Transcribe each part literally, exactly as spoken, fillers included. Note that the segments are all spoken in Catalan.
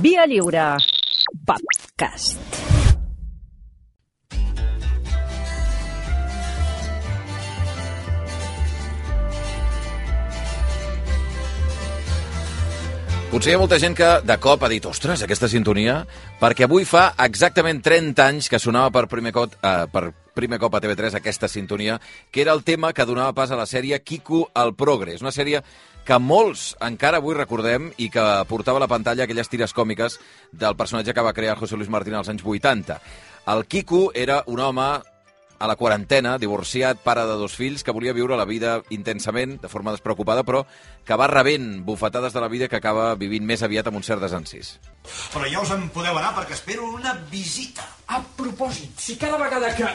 Via Lliure Podcast. Potser hi ha molta gent que de cop ha dit ostres, aquesta sintonia, perquè avui fa exactament trenta anys que sonava per primer cop, eh, per primer cop a T V tres aquesta sintonia, que era el tema que donava pas a la sèrie Quico el Progre. És una sèrie que molts encara avui recordem i que portava a la pantalla aquelles tires còmiques del personatge que va crear José Luis Martín als anys vuitanta. El Quico era un home a la quarantena, divorciat, pare de dos fills, que volia viure la vida intensament, de forma despreocupada, però que va rebent bufetades de la vida que acaba vivint més aviat amb un cert desencís. Però ja us en podeu anar perquè espero una visita. A propòsit, si cada vegada que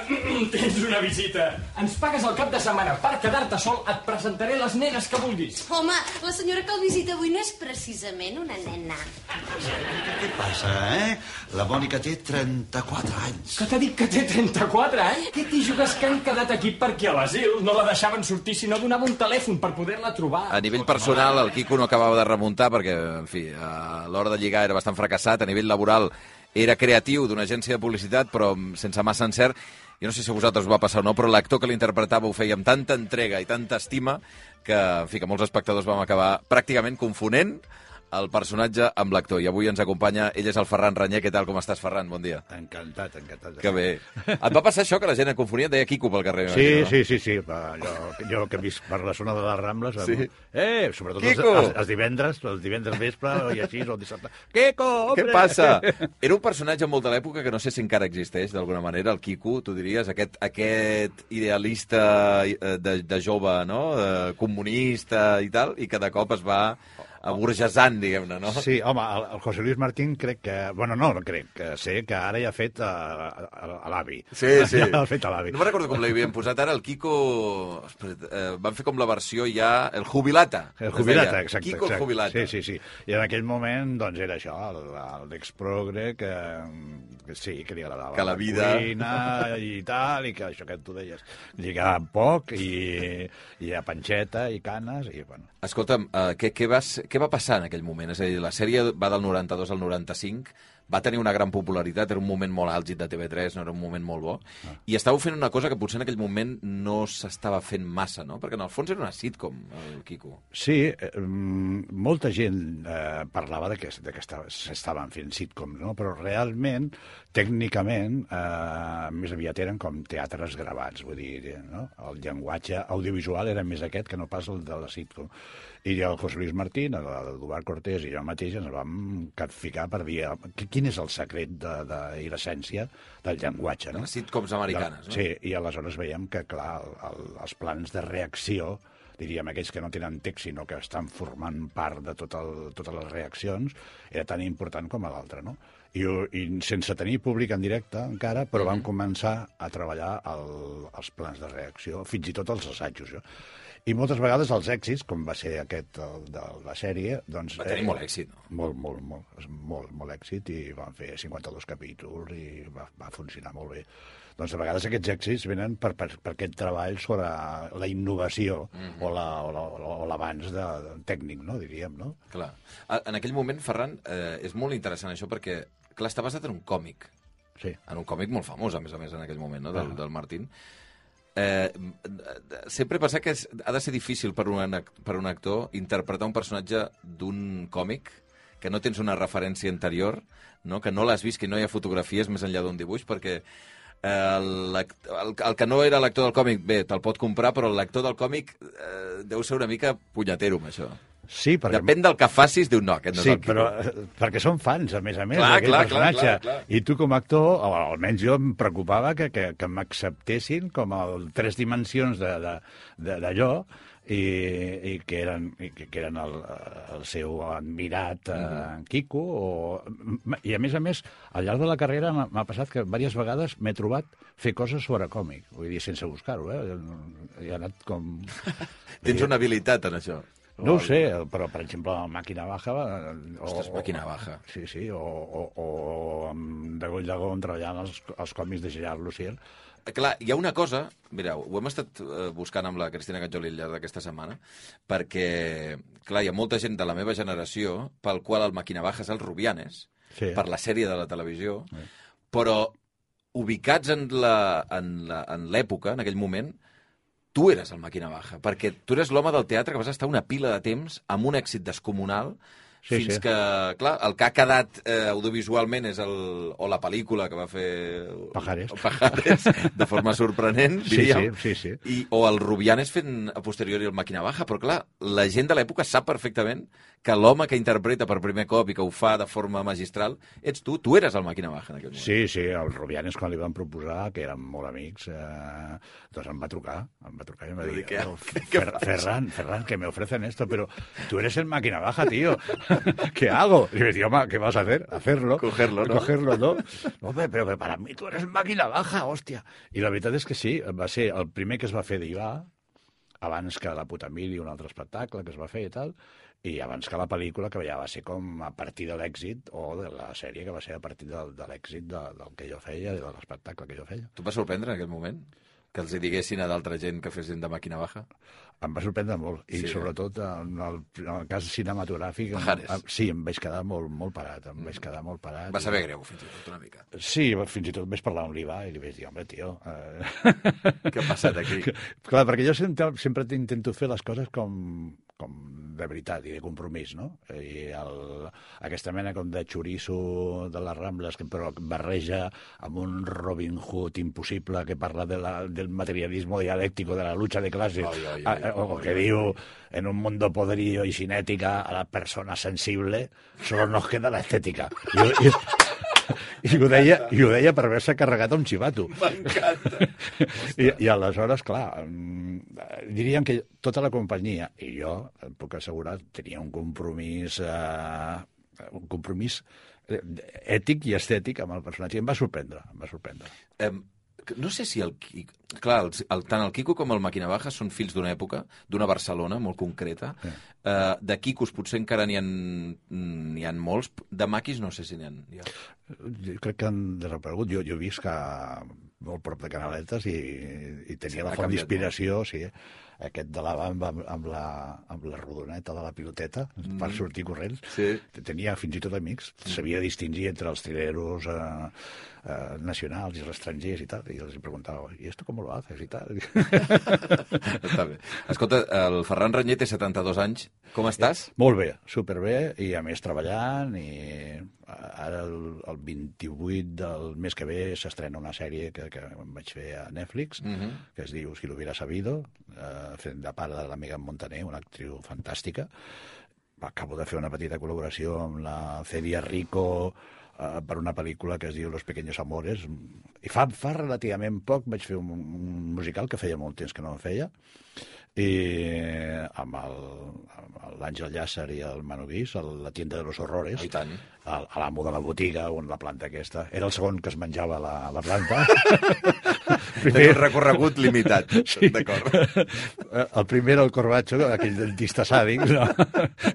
tens una visita ens pagues el cap de setmana per quedar-te sol, et presentaré les nenes que vulguis. Home, la senyora que el visita avui no és precisament una nena. Què passa, eh? La Mònica té trenta-quatre anys. Que t'ha dit que té trenta-quatre anys? Què t'hi jugues que han quedat aquí perquè a l'asil no la deixaven sortir si no donava un telèfon per poder-la trobar? A nivell personal, el Quico no acabava de remuntar perquè, en fi, a l'hora de lligar era bastant fracassat. A nivell laboral era creatiu d'una agència de publicitat, però sense massa encert. Jo no sé si a vosaltres us va passar o no, però l'actor que l'interpretava ho feia amb tanta entrega i tanta estima que, en fi, que molts espectadors vam acabar pràcticament confonent el personatge amb l'actor. I avui ens acompanya, ell és el Ferran Ranyer. Què tal, com estàs, Ferran? Bon dia. Encantat, encantat. Que bé. Et va passar això, que la gent et confonia? Et deia Quico pel carrer? Sí, no? sí, sí, sí. Va, jo, jo que he vist per la zona de les Rambles... Sí. Eh, sobretot els, Quico! els, els divendres, els divendres vespre i així, o el dissabte. Quico, hombre! Què passa? Era un personatge molt de l'època que no sé si encara existeix, d'alguna manera, el Quico, tu diries, aquest, aquest idealista de, de jove, no?, de comunista i tal, i que de cop es va aburgesant, diguem-ne, no? Sí, home, el, el José Luis Martín crec que... Bueno, no, no crec, que sé que ara ja ha fet a, a, a l'avi. Sí, sí. Ja ha fet a l'avi. No me'n recordo com l'havien posat ara, el Quico... Eh, van fer com la versió ja... El jubilata. El jubilata, exacte. Quico exacte. el jubilata. Sí, sí, sí. I en aquell moment, doncs, era això, l'ex-progre que, que sí, que li agradava que la vida... la cuina i tal, i que això que tu deies, lligava poc, i, i a panxeta, i canes, i bueno... Escolta'm, uh, què, què, vas, què va passar en aquell moment? És a dir, la sèrie va del noranta-dos al noranta-cinc, va tenir una gran popularitat, era un moment molt àlgid de T V tres, no era un moment molt bo, ah. i estàveu fent una cosa que potser en aquell moment no s'estava fent massa, no? Perquè en el fons era una sitcom, el Quico. Sí, eh, molta gent eh, parlava de que, de que s'estaven fent sitcoms, no? Però realment, tècnicament, eh, més aviat eren com teatres gravats, vull dir, no? El llenguatge audiovisual era més aquest que no pas el de la sitcom. I el José Luis Martín, l'Eduard Cortés i jo mateix ens vam capficar per dir quin és el secret de, de, i l'essència del llenguatge. No? Les sitcoms americanes, de, no? Sí, i aleshores veiem que, clar, el, el, els plans de reacció, diríem aquells que no tenen text, sinó que estan formant part de tot el, totes les reaccions, era tan important com l'altre, no? I, I sense tenir públic en directe encara, però vam començar a treballar el, els plans de reacció, fins i tot els assajos. Jo. I moltes vegades els èxits, com va ser aquest el, de la sèrie... Doncs, va tenir eh, molt èxit, no? Molt, molt, molt, molt, molt èxit, i van fer cinquanta-dos capítols i va, va funcionar molt bé. Doncs a vegades aquests èxits venen per, per, per aquest treball sobre la innovació mm-hmm. o l'avanç la, de, de, tècnic, no, diríem, no? Clar. En aquell moment, Ferran, eh, és molt interessant això perquè, clar, està basat en un còmic. Sí. En un còmic molt famós, a més a més, en aquell moment, no?, del, ah. del Martín. Eh, sempre he pensat que és, ha de ser difícil per un, per un actor interpretar un personatge d'un còmic que no tens una referència anterior, no? Que no l'has vist, que no hi ha fotografies més enllà d'un dibuix, perquè eh, el, el, el que no era l'actor del còmic, bé, te'l pot comprar, però l'actor del còmic eh, deu ser una mica punyatero amb això. Sí, perquè... Depèn del que facis, diu no, aquest no sí, és el Quico. però perquè són fans, a més a més, clar, d'aquest clar, personatge. Clar, clar, clar. I tu com a actor, o almenys jo em preocupava que, que, que m'acceptessin com a tres dimensions d'allò, i, i que eren, i que eren el, el seu admirat eh, en Quico. O... I a més a més, al llarg de la carrera m'ha passat que diverses vegades m'he trobat fer coses sobre còmic, vull dir, sense buscar-ho, eh? He anat com... Tens una habilitat en això. No ho sé, però, per exemple, Màquina Baja... O, Ostres, Màquina Baja. Sí, sí, o, o, o amb de Goll de Gon treballant els, els còmics de Gerard Lucier. Clar, hi ha una cosa, mireu, ho hem estat uh, buscant amb la Cristina Catjoli al llarg d'aquesta setmana, perquè, clar, hi ha molta gent de la meva generació pel qual el Màquina Baja és el Rubianes, sí. per la sèrie de la televisió, sí. però ubicats en la- en la- en l'època, en aquell moment, tu eres el Màquina Baja, perquè tu eres l'home del teatre que vas estar una pila de temps amb un èxit descomunal, Sí, fins sí. que, clar, el que ha quedat eh, audiovisualment és el, o la pel·lícula que va fer... Pajares. o Pajares, de forma sorprenent, Sí, diríem. sí, sí, sí. I, o el Rubianes fent a posteriori el Màquina Baja, però clar, la gent de l'època sap perfectament que l'home que interpreta per primer cop i que ho fa de forma magistral ets tu, tu eres el Màquina Baja en aquell moment. Sí, sí, el Rubianes quan li van proposar, que érem molt amics, eh, doncs em va trucar, em va trucar i em va Vull dir, dir, què- "Oh, què Fer- fas?" Ferran, Ferran, que me ofrecen esto, pero tú eres el Máquina Baja, tío. ¿Qué hago? Y me digo, "Ma, ¿qué vas a hacer? Hacerlo. Cogerlo, ¿no? Cogerlo, ¿no? Hombre, pero que para mí tú eres Máquina Baja, hòstia. I la veritat és que sí, va ser el primer que es va fer d'Ivà, abans que La puta mili, un altre espectacle que es va fer i tal, i abans que la pel·lícula, que ja va ser com a partir de l'èxit, o de la sèrie, que va ser a partir del, de l'èxit de, del que jo feia, de l'espectacle que jo feia. Tu et va sorprendre en aquell moment? Que els hi diguessin a d'altra gent que fessin de Màquina Baja? Em va sorprendre molt, i Sí. sobretot en el, en el cas cinematogràfic, em, Pajares. em, sí, em vaig quedar molt, molt parat, em vaig quedar molt parat. Va saber greu, fins i tot, una mica. Sí, fins i tot vaig parlar amb l'Iva i li vaig dir, home, tio... Eh... Què ha passat aquí? Clar, perquè jo sempre, sempre intento fer les coses com, com de veritat i de compromís, no? I el, aquesta mena com de xoriço de les Rambles, que però barreja amb un Robin Hood impossible que parla de la, del materialismo dialèctico, de la lucha de clases, Ai, ai, ai, a- o ai, que ai, diu, en un mundo podrido y sin ética, a la persona sensible solo nos queda la estética. I, i, i, ho deia, I ho deia per haver-se carregat un xivato. M'encanta. I, I aleshores, clar, mm, diríem que tota la companyia, i jo, et puc assegurar, tenia un compromís, eh, un compromís eh, ètic i estètic amb el personatge. I em va sorprendre, em va sorprendre. Eh, no sé si el Quico... Clar, el, el, tant el Quico com el Màquina Baja són fills d'una època, d'una Barcelona molt concreta. Sí. Eh, de Quicos potser encara n'hi ha, n'hi ha molts. De maquis no sé si n'hi ha. N'hi ha. Jo crec que han desaparegut. Jo, jo he vist que molt prop de Canaletes i, i tenia Sí, la ha font canviat d'inspiració, sí, aquest de la bamba amb, amb, la, amb la rodoneta de la piloteta mm. per sortir corrents. Sí. Tenia fins i tot amics. Sabia distingir entre els trileros eh, eh, nacionals i els estrangers i tal. I els preguntava, ¿y esto cómo lo haces? I tal. Està bé. Escolta, el Ferran Ranyer té setanta-dos anys. Com estàs? Molt bé, superbé, i a més treballant, i ara el, el vint-i-vuit del mes que ve s'estrena una sèrie que, que em vaig fer a Netflix, Uh -huh. que es diu Si lo hubiera sabido, eh, fent de part de la Megan Montaner, una actriu fantàstica. Acabo de fer una petita col·laboració amb la Celia Rico eh, per una pel·lícula que es diu Los pequeños amores. I fa, fa relativament poc vaig fer un, un musical que feia molt temps que no en feia, i amb el- amb l'Àngel Llàcer i el Manu Guix, a la tienda de los horrores, Oh, i tant. a, a l'amo de la botiga, on la planta aquesta. Era el segon que es menjava la, la planta. Té un recorregut limitat. Sí. D'acord. El primer era el Corbacho, aquell dentista sàdic, no?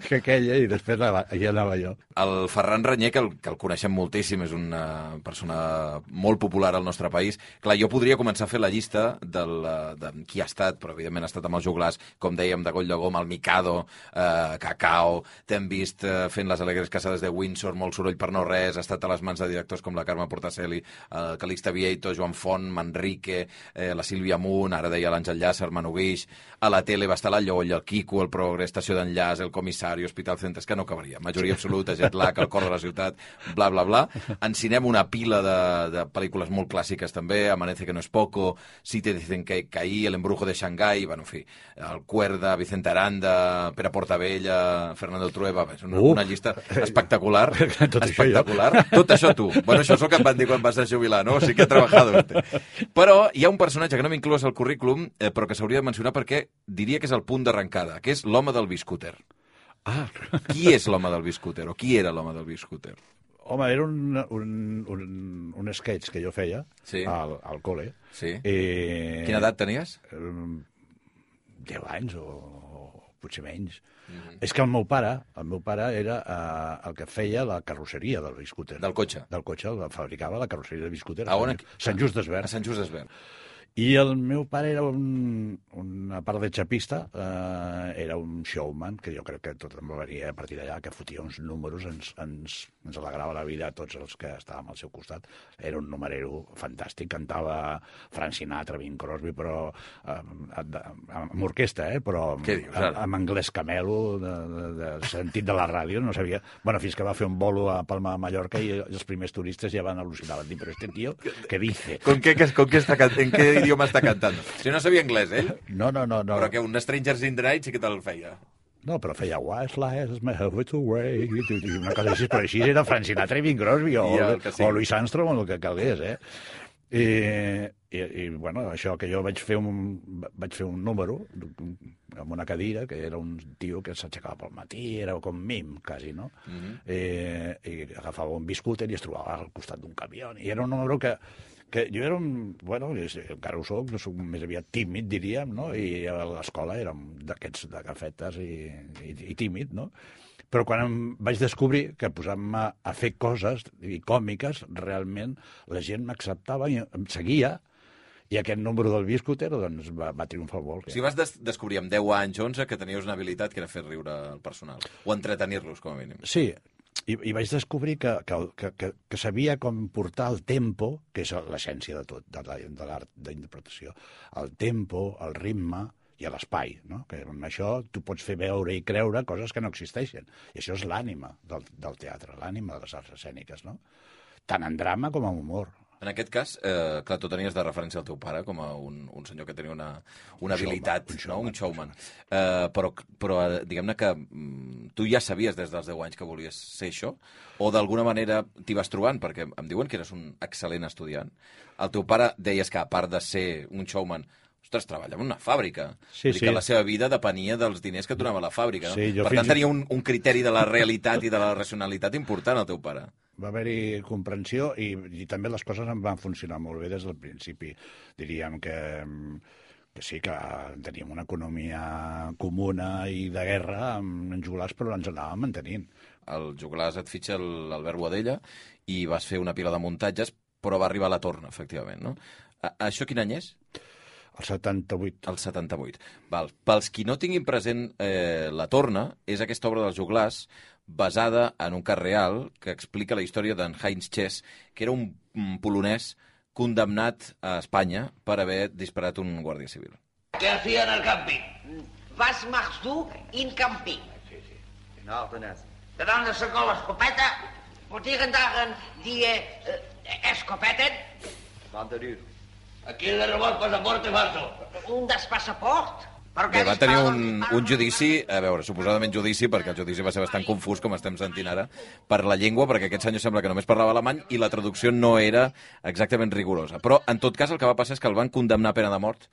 que aquella, i després anava, ja anava jo. El Ferran Ranyer, que el, que el coneixem moltíssim, és una persona molt popular al nostre país. Clar, jo podria començar a fer la llista del, de qui ha estat, però evidentment ha estat amb els joglars, com dèiem, de Goll de Gom, el Mikado, eh, Cacao, t'hem vist eh, fent les Alegres Casades de Windsor, molt soroll per no res, ha estat a les mans de directors com la Carme Portacelli, el Calixte Vieito, Joan Font, Manrique, eh, la Sílvia Munt, ara deia l'Àngel Llàcer, Manu Guix, a la tele va estar la Lloll, el Quico, el Progre, Estació d'Enllaç, el Comissari, Hospital Centres, que no acabaria. Majoria absoluta, Jet Lag, El cor de la ciutat, bla, bla, bla. Ensinem una pila de, de pel·lícules molt clàssiques també, Amanece que no es poco, Si te dicen que caí, El embrujo de Shanghái, bueno, en fi, El Cuerda, Vicente Aranda, Pere Portabella, Fernando Trueba, és una, Uh. una llista espectacular. Tot això jo. espectacular. Tot això tu. Bueno, això és el que em van dir quan vas a jubilar, no? Sí que he trabajado usted. Però hi ha un personatge que no m'inclús al currículum, eh, però que s'hauria de mencionar perquè diria que és el punt d'arrencada, que és l'home del biscúter. Ah, Qui és l'home del biscúter? O qui era l'home del biscúter? home, era un, un, un, un sketch que jo feia Sí. al, al col·le. Sí. I... Quina edat tenies? Um, deu anys o, o potser menys. Mhm. És que el meu pare, el meu pare era uh, el que feia la carrosseria del biscúter. Del cotxe. Del cotxe, el fabricava la carrosseria del biscúter A on? Sant, Sant Just A d'Esvern. Sant Just d'Esvern. I el meu pare era un, una part de xapista, eh, era un showman, que jo crec que tot em va venir a partir d'allà, que fotia uns números, ens, ens ens alegrava la vida a tots els que estàvem al seu costat. Era un numerero fantàstic, cantava Frank Sinatra, Bing Crosby, però eh, amb orquestra, eh? Però dius, amb, amb anglès camelo, de, de, de sentit de la ràdio, no sabia... Bueno, fins que va fer un bolo a Palma de Mallorca i els primers turistes ja van al·lucinar, van dir, però este tío, ¿qué dice? ¿Con qué, con qué está, ¿En qué idioma està cantant? Si no sabia anglès, ell? No, no, no. no. Però que un Strangers in the Night sí que te'l feia. No, però feia Wise Lies, my heart away, i una cosa així, però així era Frank Sinatra i Bing Crosby, o, ja, sí. o Louis Armstrong, o el que calgués, eh? I, i, i bueno, això que jo vaig fer un, vaig fer un número amb una cadira, que era un tio que s'aixecava pel matí, era com mim, quasi, no? Mm-hmm. I, I agafava un biscúter i es trobava al costat d'un camió, i era un número que que jo era un... Bueno, encara ho soc, soc més aviat tímid, diríem, no? I a l'escola érem d'aquests de gafetes i, i, i tímid, no? Però quan em vaig descobrir que posant-me a fer coses i còmiques, realment la gent m'acceptava i em seguia, i aquest número del biscúter doncs, va, va triomfar molt. O sigui, vas des descobrir amb deu anys, onze, que tenies una habilitat que era fer riure el personal, o entretenir-los, com a mínim. Sí, I, i vaig descobrir que, que, que, que sabia com portar el tempo, que és l'essència de tot, de, de l'art d'interpretació, el tempo, el ritme i l'espai, no? Que amb això tu pots fer veure i creure coses que no existeixen. I això és l'ànima del, del teatre, l'ànima de les arts escèniques, no? Tant en drama com en humor. En aquest cas, eh, clar, tu tenies de referència al teu pare com a un, un senyor que tenia una, una un habilitat, showman, un showman. No? un showman. Eh, però però diguem-ne que mm, tu ja sabies des dels deu anys que volies ser això, o d'alguna manera t'hi vas trobant, perquè em diuen que eres un excel·lent estudiant. El teu pare deies que, a part de ser un showman, ostres, treballava en una fàbrica. Sí, sí. Que la seva vida depenia dels diners que et donava la fàbrica. No? Sí, per tant, tenia un, un criteri de la realitat i de la racionalitat important, el teu pare. Va haver-hi comprensió i, i també les coses em van funcionar molt bé des del principi. Diríem que, que sí, que teníem una economia comuna i de guerra amb en joglars, però ens anàvem mantenint. El joglars et fitxa l'Albert Boadella i vas fer una pila de muntatges, però va arribar a la torna, efectivament, no? A, això quin any és? El setanta-vuit. El setanta-vuit. Val. Pels qui no tinguin present eh, la torna, és aquesta obra dels joglars basada en un cas real que explica la història d'en Heinz Chess, que era un, un polonès condemnat a Espanya per haver disparat un guàrdia civil. Què hacía en el camping? Was machst du in camping? Sí, sí. In Ardenes. De dan sacó l'escopeta, pot irgendaren die uh, escopetten? Van de duur. Aquí de rebot passaporte falso. Un despassaport? Bé, va tenir un, un judici, a veure, suposadament judici, perquè el judici va ser bastant confús, com estem sentint ara, per la llengua, perquè aquest senyor sembla que només parlava alemany i la traducció no era exactament rigorosa. Però, en tot cas, el que va passar és que el van condemnar a pena de mort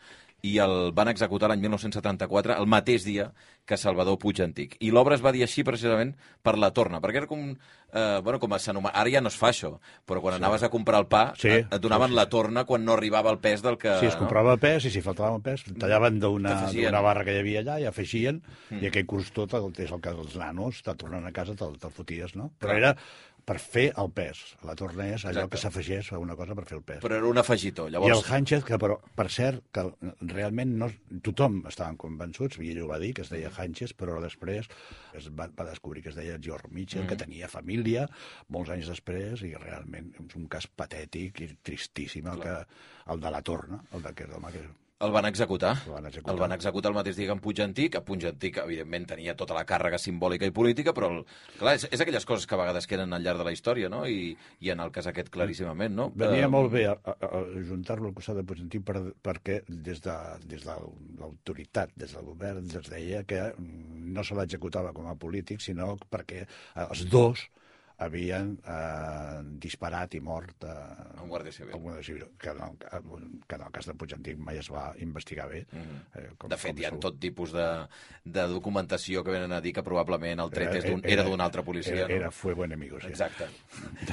i el van executar l'any mil nou-cents setanta-quatre, el mateix dia que Salvador Puig Antic. I l'obra es va dir així precisament per la torna, perquè era com... Eh, bueno, com s'anomena... Ara ja no es fa això, però quan sí. anaves a comprar el pa, sí. et, et donaven sí, sí. la torna quan no arribava el pes del que... Sí, es comprava el pes i si faltava el pes, tallaven d'una barra que hi havia allà i afegien, mm. i aquell curs tot, el, és el que els nanos, te tornen a casa, te'l te foties, no? Però era per fer el pes. La torna és allò Exacte. que s'afegeix a una cosa per fer el pes. Però era un afegitó, llavors... I el Hánchez, que però, per cert, que realment no, tothom estaven convençuts, i ell ho va dir, que es deia Hánchez, però després es va, va descobrir que es deia George Mitchell, mm. que tenia família, molts anys després, i realment és un cas patètic i tristíssim el, que, el de la torna, el d'aquest home que... El van executar. El van executar. El van executar el mateix dia que en Puig Antic. A Puig Antic, evidentment, tenia tota la càrrega simbòlica i política, però, el, clar, és, és aquelles coses que a vegades queden al llarg de la història, no? I, i en el cas aquest, claríssimament, no? Venia uh... molt bé a, a, a juntar-lo al costat de Puig Antic per, perquè des de, des de l'autoritat, des del govern, es deia que no se l'executava com a polític, sinó perquè els dos havien eh, disparat i mort eh, a un guàrdia civil, un guàrdia civil que, en el, que en el cas de Puig Antic mai es va investigar bé. Mm-hmm. eh, com, de fet, hi ha tot tipus de, de documentació que venen a dir que probablement el tret era, era d'un altre policia. Era, no? era fuego enemigo, sí. Exacte.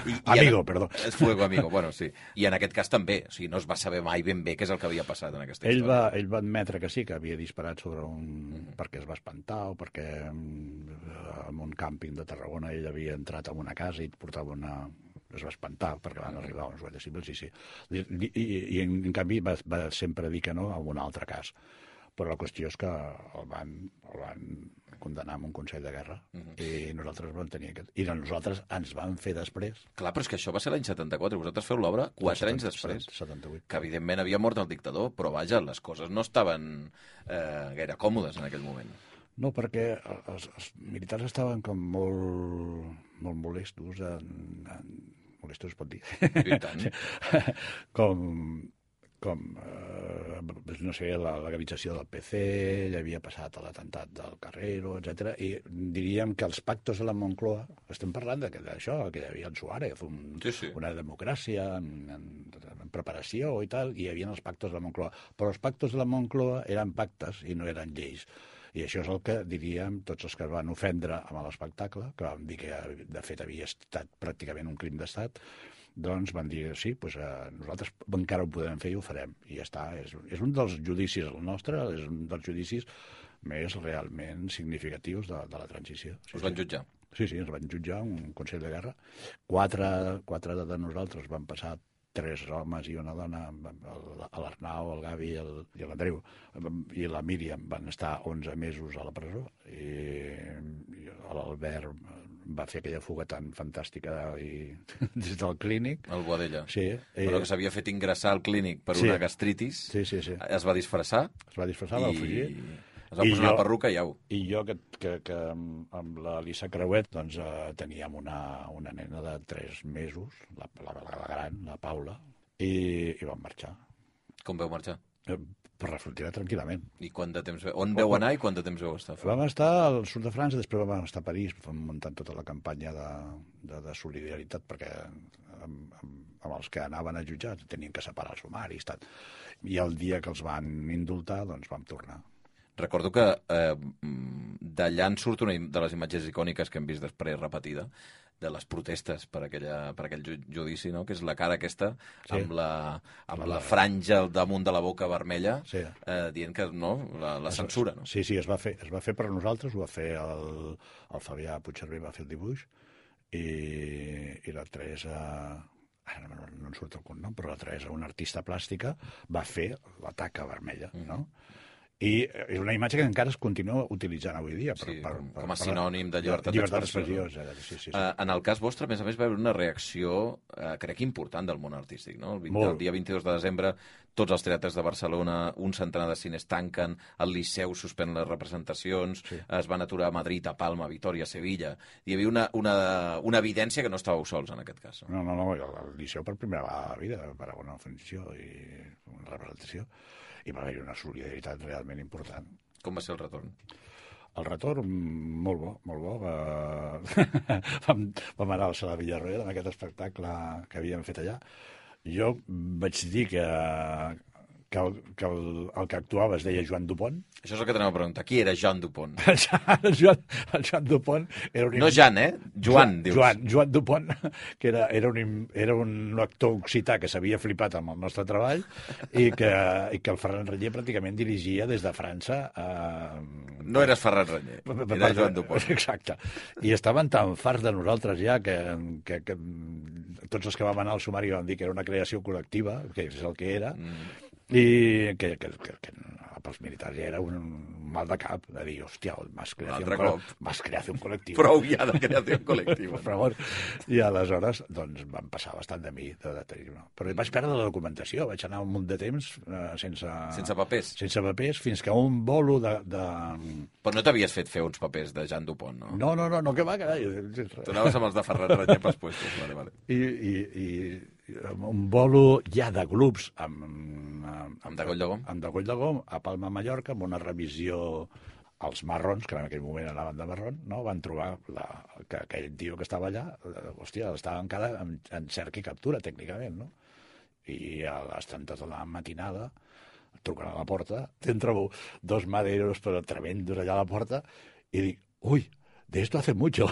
I, amigo, en, perdó. Fuego amigo, bueno, sí. I en aquest cas també, o sigui, no es va saber mai ben bé què és el que havia passat en aquesta ell història. Va, ell va admetre que sí, que havia disparat sobre un... Mm-hmm. perquè es va espantar o perquè en un càmping de Tarragona ell havia entrat en una casa i portava una... es va espantar perquè van arribar uns guàrdies civils, sí, sí. I, i, i en, en canvi va, va sempre dir que no a un altre cas. Però la qüestió és que el van, el van condemnar amb un Consell de Guerra uh-huh. i nosaltres vam tenir aquest... I nosaltres ens van fer després... Clar, però és que això va ser l'any setanta-quatre. Vosaltres feu l'obra quatre anys després. setanta-vuit. Que evidentment havia mort el dictador, però vaja, les coses no estaven eh, gaire còmodes en aquell moment. No, perquè els, els militars estaven com molt, molt molestos, en, en, molestos es pot dir? I tant. com... com, eh, no sé, la legalització del P C, ja havia passat l'atemptat del Carrero, etcètera, i diríem que els pactos de la Moncloa, estem parlant d'això, que hi havia el Suárez, un, sí, sí. una democràcia en, en, en preparació i tal, i hi havia els pactos de la Moncloa. Però els pactos de la Moncloa eren pactes i no eren lleis. I això és el que diríem tots els que van ofendre amb l'espectacle, que vam dir que de fet havia estat pràcticament un crim d'estat, doncs van dir, sí, doncs, eh, nosaltres encara ho podem fer i ho farem. I ja està. És, és un dels judicis, el nostre, és un dels judicis més realment significatius de, de la transició. Sí, Us van jutjar? Sí, sí, ens van jutjar, un Consell de Guerra. Quatre, quatre de nosaltres van passar, tres homes i una dona, l'Arnau, el Gavi i el, i l'Andreu, i la Míriam van estar onze mesos a la presó, i, i l'Albert va fer aquella fuga tan fantàstica i, des del clínic. El Boadella. Sí. Però que s'havia fet ingressar al clínic per sí. una gastritis. Sí, sí, sí. Es va disfressar. Es va disfressar, va fugir. Es va I posar jo, una perruca i au. I jo, que, que, que amb la Lisa Creuet, doncs, eh, teníem una, una nena de tres mesos, la, la, la gran, la Paula, i, i vam marxar. Com vau marxar? Eh, per la frontera tranquil·lament. I quant de temps... On veu anar i quant de temps veu estar? Vam estar al sud de França, després vam estar a París, vam muntant tota la campanya de, de, de solidaritat, perquè amb, amb, amb els que anaven a jutjar tenien que separar els sumaris. Tal. I el dia que els van indultar, doncs vam tornar. Recordo que eh, d'allà en surt una de les imatges icòniques que hem vist després repetida, de les protestes per, aquella, per aquell judici, no? Que és la cara aquesta, sí. amb, la, amb la franja al damunt de la boca vermella, sí. eh, dient que no, la, la censura. No? Sí, sí, es va fer, es va fer per nosaltres, ho va fer el, el Fabià Puigcerver, va fer el dibuix, i, i la Teresa... Ara no, no en surt el cognom, però la Teresa, una artista plàstica, va fer la taca vermella, mm. no? I és una imatge que encara es continua utilitzant avui dia. Per, sí, per, com, per, com a sinònim de llibertat, llibertat d'expressió. Sí, sí, sí. Uh, en el cas vostre, a més a més, va haver una reacció, uh, crec, important del món artístic. No? El, vint, el dia vint-i-dos de desembre, tots els teatres de Barcelona, un centenar de cines tanquen, el Liceu suspèn les representacions, sí. es van aturar a Madrid, a Palma, a Vitòria, a Sevilla. Hi havia una, una, una evidència que no estàveu sols en aquest cas. No, no, no, el Liceu per primera vegada a la vida va a una funció i una representació, i va haver una solidaritat realment important. Com va ser el retorn? El retorn, molt bo, molt bo. Va... vam, vam anar al Sala Villarroel amb aquest espectacle que havíem fet allà. Jo vaig dir que, que, el, que el, el que actuava es deia Joan Dupont. Això és el que t'anem a preguntar. Qui era Joan Dupont? el, Joan, el Joan Dupont era un... No Jan, eh? Joan, dius. Joan, Joan Dupont, que era, era, un, era un actor occità que s'havia flipat amb el nostre treball i que, i que el Ferran Reller pràcticament dirigia des de França. A... No eres Ferran Reller, era Joan Dupont. Exacte. I estaven tan farts de nosaltres ja que, que, que tots els que vam anar al sumari vam dir que era una creació col·lectiva, que és el que era, mm. i que, que, que, que pels militars ja era un mal de cap de dir, hòstia, m'has creat un, un col·lectiu. Prou ja de creació col·lectiva. Per favor. I aleshores, doncs, van passar bastant de mi. De, de, de, no. Però vaig perdre la documentació, vaig anar un munt de temps eh, sense... Sense papers? Sense papers, fins que un bolo de... de... Però no t'havies fet fer uns papers de Joan Dupont, no? No, no, no, no, que va, carai. Tu anaves amb els de Ferran Reller pels puestos, vale, vale. I, i, i un bolo ja de grups amb... Amb, amb Degoll de Gom? Amb Degoll de Gom, a Palma, Mallorca, amb una revisió als marrons, que en aquell moment anaven de marrón, no? Van trobar la, que aquell tio que estava allà, hòstia, estava encara en, en cerca i captura, tècnicament, no? I a les tantes de la matinada, truquen a la porta, t'entra dos maderos, però tremendos allà a la porta, i dic, ui, de esto hace mucho.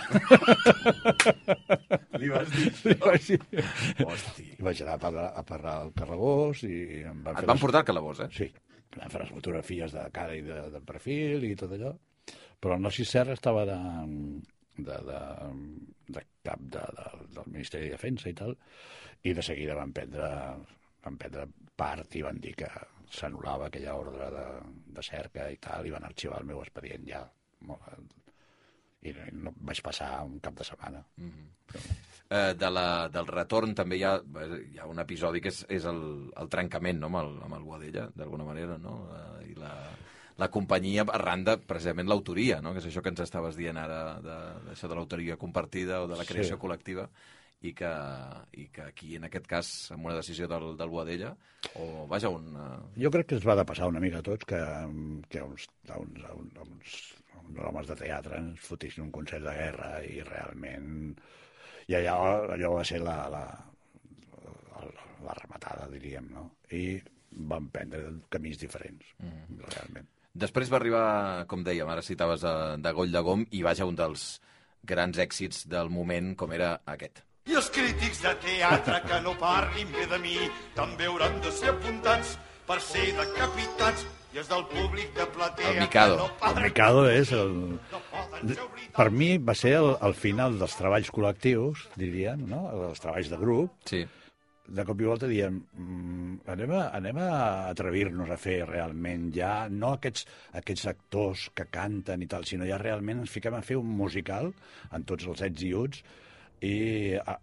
Li vas dir això? Li vaig dir. Hosti. I vaig anar a parlar, a parlar al Carrabós i... Em van Et van les... portar al Calabós, eh? Sí. Vam fer les fotografies de cara i de, de perfil i tot allò. Però el Narcís Serra estava de, de, de, de cap de, de, del Ministeri de Defensa i tal, i de seguida van prendre, van prendre part i van dir que s'anul·lava aquella ordre de, de cerca i tal, i van arxivar el meu expedient ja. I no, vaig passar un cap de setmana. Mm-hmm. Però... Eh, de la, del retorn també hi ha, hi ha un episodi que és, és el, el trencament, no?, amb el, amb el Boadella, d'alguna manera, no? Eh, I la, la companyia arran de, precisament, l'autoria, no?, que és això que ens estaves dient ara, de, d'això de l'autoria compartida o de la creació sí. col·lectiva, i que, i que aquí, en aquest cas, amb una decisió del, del Boadella, o, vaja, un... Uh... Jo crec que ens va de passar una mica a tots que, que uns, uns, uns, uns, uns homes de teatre ens fotissin un concert de guerra i realment... I allò, allò va ser la, la, la, la rematada, diríem, no? I vam prendre camins diferents, mm. realment. Després va arribar, com dèiem, ara citaves de, de Goll de Gom, i vaja, un dels grans èxits del moment, com era aquest. I els crítics de teatre que no parlin bé de mi també hauran de ser apuntats per ser decapitats. I és del públic de platea... El Mikado. El Mikado és... El... Per mi va ser el, el final dels treballs col·lectius, diríem, no? Els treballs de grup. Sí. De cop i volta diem, mmm, anem, a, anem a atrevir-nos a fer realment ja, no aquests, aquests actors que canten i tal, sinó ja realment ens fiquem a fer un musical en tots els ets i uts i a,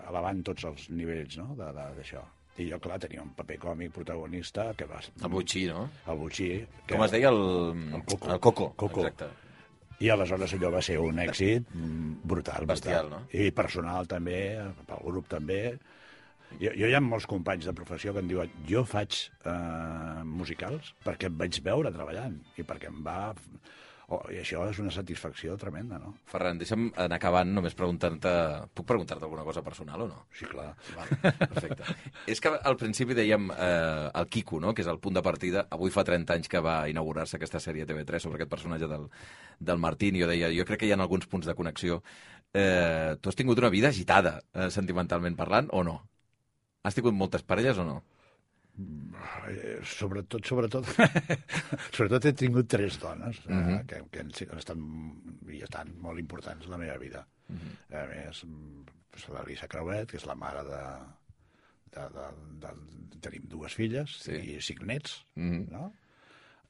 elevant tots els nivells, no?, d'això. I jo, clar, tenia un paper còmic protagonista que va... El Butxí, no? El Butxí. Que... Com es deia? El, el Coco. El Coco, Coco. Exacte. I aleshores allò va ser un èxit brutal. Bestial, brutal. No? I personal també, pel grup també. Jo, jo hi ha molts companys de professió que em diuen jo faig eh, musicals perquè em vaig veure treballant i perquè em va... Oh, i això és una satisfacció tremenda, no? Ferran, deixa'm anar acabant només preguntant-te... Puc preguntar-te alguna cosa personal o no? Sí, clar. Vale, perfecte. És que al principi dèiem eh, el Quico, no?, que és el punt de partida. Avui fa trenta anys que va inaugurar-se aquesta sèrie a T V tres sobre aquest personatge del, del Martín, i jo deia, jo crec que hi ha alguns punts de connexió. Eh, tu has tingut una vida agitada, eh, sentimentalment parlant, o no? Has tingut moltes parelles o no? Sobretot, sobretot, sobretot he tingut tres dones uh -huh. eh, que, que han estat i estan molt importants en la meva vida. Uh -huh. A més, l'Elisa Creuet, que és la mare de... de, de, de, de tenim dues filles sí. i cinc nets, uh -huh. no?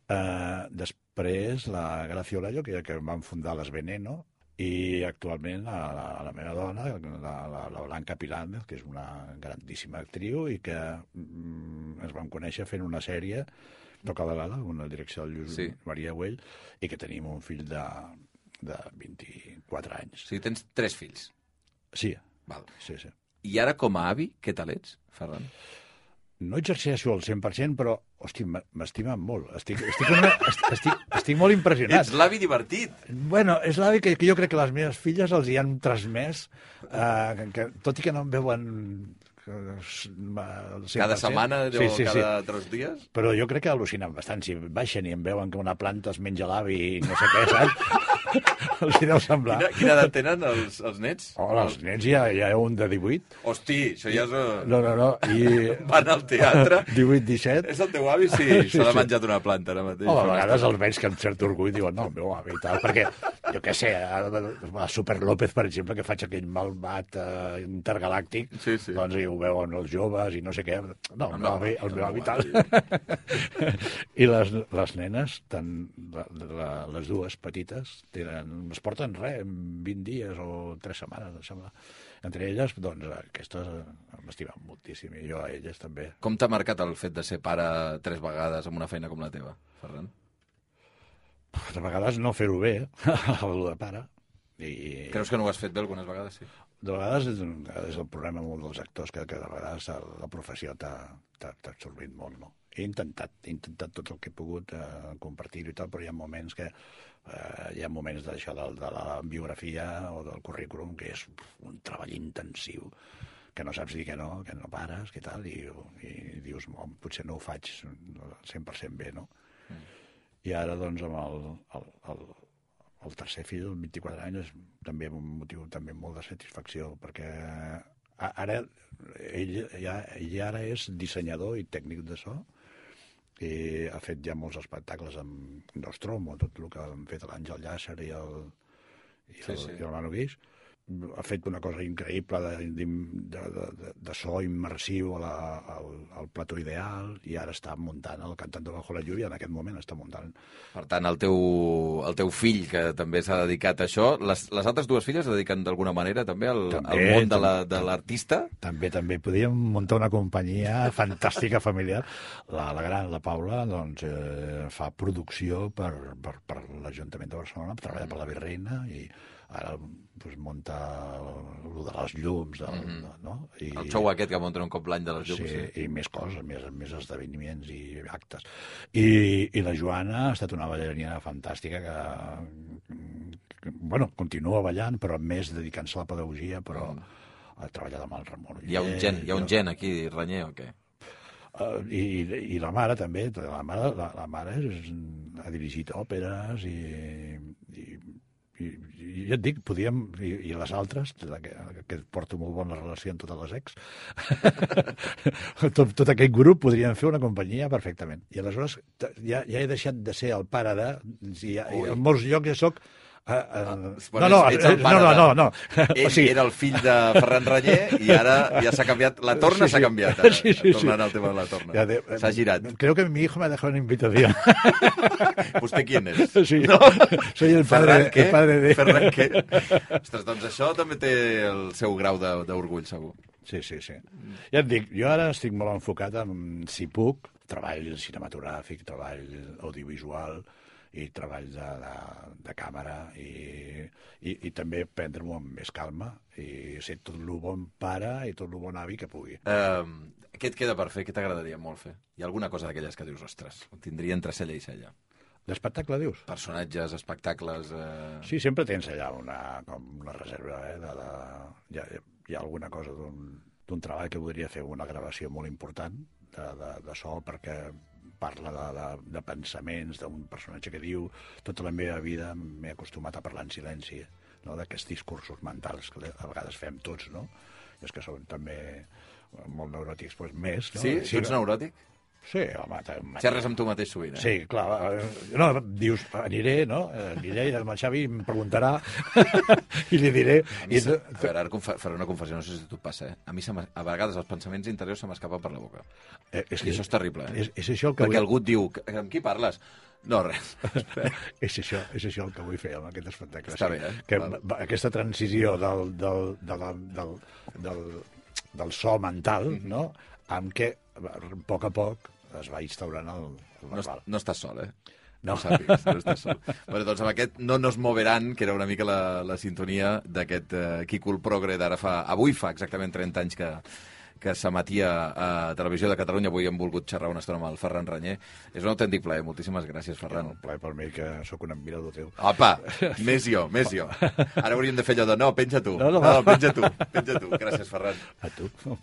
Eh, després, la Gracia Olayo, que, que van fundar les Veneno, i actualment la, la, la meva dona, la, la, la Blanca Pilàndez, que és una grandíssima actriu i que mm, ens vam conèixer fent una sèrie, Toca de l'ala, una direcció del Lluís sí. Maria Güell, i que tenim un fill de, de vint-i-quatre anys. O sigui, tens tres fills? Sí. Val. Sí, sí. I ara, com a avi, què tal ets, Ferran? No exerceixo al cent per cent, però, hosti, m'estimen molt. Estic, estic, una, estic, estic molt impressionat. Ets l'avi divertit. Bueno, és l'avi que, que jo crec que les meves filles els hi han transmès, eh, que, que, tot i que no em veuen... Cada setmana o sí, sí, cada sí. tres dies? Però jo crec que al·lucinen bastant. Si baixen i em veuen que una planta es menja l'avi i no sé què, saps? Els hi deu semblar. Quina, quina edat tenen els, els nets? Oh, els nets hi ha, hi ha un de divuit. Hosti, això ja és... No, no, no. I... Van al teatre. divuit disset. És el teu avi? Sí, s'ha sí, de menjar d'una planta ara mateix. Oh, a vegades els veig que amb cert orgull diuen no, el meu avi i tal, perquè, jo què sé, a Super López, per exemple, que faig aquell malvat uh, intergalàctic, sí, sí. doncs hi ho veuen els joves i no sé què. No, el meu avi, el meu avi tal. I les, les nenes, tant la, la, les dues petites, tenen, es porten res, vint dies o tres setmanes, em sembla. Entre elles, doncs, aquestes m'estimen moltíssim, i jo a elles també. Com t'ha marcat el fet de ser pare tres vegades amb una feina com la teva, Ferran? De vegades no fer-ho bé, el de pare. I... Creus que no ho has fet bé algunes vegades, sí? De vegades és, un, és el problema molt dels actors, que, que de vegades la professió t'ha absorbit molt, no? He intentat, he intentat tot el que he pogut eh, compartir-ho i tal, però hi ha moments que eh, hi ha moments d'això de, de la biografia o del currículum que és un treball intensiu, que no saps dir que no, que no pares, que tal, i, i dius, oh, potser no ho faig al cent per cent bé, no? Mm. I ara, doncs, amb el, el, el, el tercer fill, el vint-i-quatre anys, és també un motiu també molt de satisfacció, perquè ara ell, ja, ell ara és dissenyador i tècnic de so, i ha fet ja molts espectacles amb Nostromo, tot el que han fet l'Àngel Llàcer i el, i el, sí, sí. i el Manu Guix, ha fet una cosa increïble de, de, de, de, de so immersiu a la, al, al plató ideal, i ara està muntant el Cantando bajo la lluvia, en aquest moment està muntant. Per tant, el teu, el teu fill, que també s'ha dedicat a això, les, les altres dues filles es dediquen d'alguna manera també al, també, al món de la, de l'artista? També, també. Podríem muntar una companyia fantàstica familiar. La, la gran, la Paula, doncs, eh, fa producció per, per, per l'Ajuntament de Barcelona, treballa per la Virreina, i ara pues, munta el de les llums, del, mm -hmm. no? I, el show aquest que munten un cop l'any de les llums. Sí, sí. I més coses, més, més esdeveniments i actes. I, i la Joana ha estat una ballarina fantàstica que, que bueno, continua ballant, però més dedicant-se a la pedagogia, però mm. ha treballat amb el Ramon Uller. Hi ha un gen, hi ha un gen aquí, Ranyer, o què? Uh, i, i la mare també, la mare, la, la mare és, ha dirigit òperes i, i I, i ja et dic, podíem, i, i les altres, que, que porto molt bona relació amb totes les ex, tot, tot aquest grup podrien fer una companyia perfectament. I aleshores ja, ja he deixat de ser el pare de... I, ja, i en molts llocs ja soc... Uh, uh, ah, no, no, ets el pare no, no, no, no. Ell o sigui... era el fill de Ferran Ranyer i ara ja s'ha canviat, la torna sí, sí. s'ha canviat, ara, sí, sí, tornant sí. al tema de la torna. Ja de... S'ha girat. Creo que mi hijo me ha dejado una invitación. ¿Usted quién es? Sí, no? Soy el padre, el padre de... Ferran què? Ostres, doncs això també té el seu grau d'orgull, segur. Sí, sí, sí. Ja et dic, jo ara estic molt enfocat en, si puc, treball cinematogràfic, treball audiovisual i treball de, de, de càmera i, i, i també prendre-m'ho amb més calma i ser tot el bon pare i tot el bon avi que pugui. Uh, què et queda per fer? Què t'agradaria molt fer? Hi ha alguna cosa d'aquelles que dius, ostres, ho tindria entre cella i cella? D'espectacle, dius? Personatges, espectacles... Eh... Sí, sempre tens allà una, com una reserva, eh? De, de, hi, ha, hi ha alguna cosa d'un treball que voldria fer una gravació molt important de, de, de so, perquè parla de, de, de pensaments d'un personatge que diu tota la meva vida m'he acostumat a parlar en silenci, no? D'aquests discursos mentals que a vegades fem tots, no? I és que són també molt neuròtics, doncs més, no? Sí? Tu ets neuròtic? Sí, home... Xerres amb tu mateix sovint, eh? Sí, clar. No, dius, aniré, no? Aniré, el Xavi em preguntarà i li diré... A mi, se... a veure, ara faré una confessió, no sé si a tu et passa, eh? A mi, a vegades, els pensaments interiors se m'escapen per la boca. Eh, és I que... això és terrible, eh? És, és això el que Perquè vull... algú et diu, amb qui parles? No, res. és, això, és això el que vull fer amb aquest espectacle. Està bé, eh? Que Val. Aquesta transició del, del, del, del, del, del so mental, mm-hmm. no? Amb què, a poc a poc, es va instaurant el, el verbal. No, no estàs sol, eh? No. No sàpigues, no estàs sol. Bueno, doncs amb aquest No nos moveran, que era una mica la, la sintonia d'aquest uh, Quicul Progre d'ara fa... Avui fa exactament trenta anys que, que s'emetia a Televisió de Catalunya. Avui hem volgut xerrar una estona amb el Ferran Ranyer. És un autèntic plaer. Moltíssimes gràcies, Ferran. Un plaer per mi, que sóc un admirador teu. Opa, més jo, més jo. Ara hauríem de fer allò de no, penja tu. No, no, no penja tu, penja tu. Gràcies, Ferran. A tu. No,